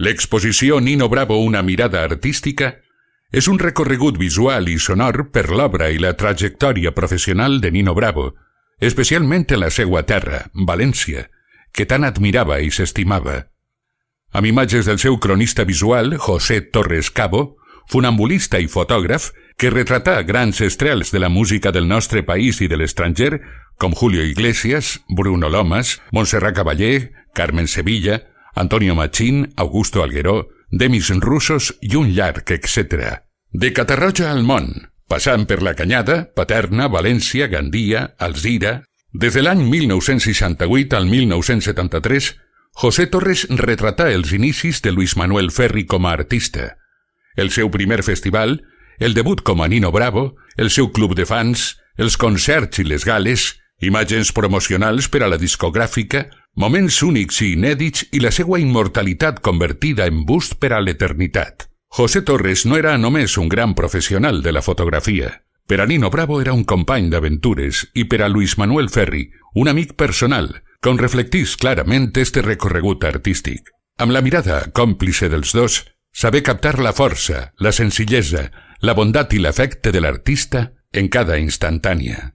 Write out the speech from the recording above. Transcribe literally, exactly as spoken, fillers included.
L'exposició Nino Bravo, una mirada artística és un recorregut visual i sonor per l'obra i la trajectòria professional de Nino Bravo, especialment en la seua terra, València, que tant admirava i s'estimava. Amb imatges del seu cronista visual, José Torres Cabo, funambulista i fotògraf, que retratà grans estrels de la música del nostre país i de l'estranger, com Julio Iglesias, Bruno Lomas, Montserrat Caballé, Carmen Sevilla, Antonio Machín, Augusto Algueró, Demis Russos i un llarg etcètera. De Catarroja al món, passant per la Canyada, Paterna, València, Gandia, Alzira. Des de l'any mil nou-cents seixanta-vuit al mil nou-cents setanta-tres, José Torres retratà els inicis de Luis Manuel Ferri com a artista. El seu primer festival, el debut com a Nino Bravo, el seu club de fans, els concerts i les gales, imatges promocionals per a la discogràfica, moments únics i inèdits i la seva immortalitat convertida en bust per a l'eternitat. José Torres no era només un gran professional de la fotografia. Per a Nino Bravo era un company d'aventures i per a Luis Manuel Ferri, un amic personal, com reflectís clarament este recorregut artístic. Amb la mirada còmplice dels dos, saber captar la força, la senzillesa, la bondat i l'afecte de l'artista en cada instantània.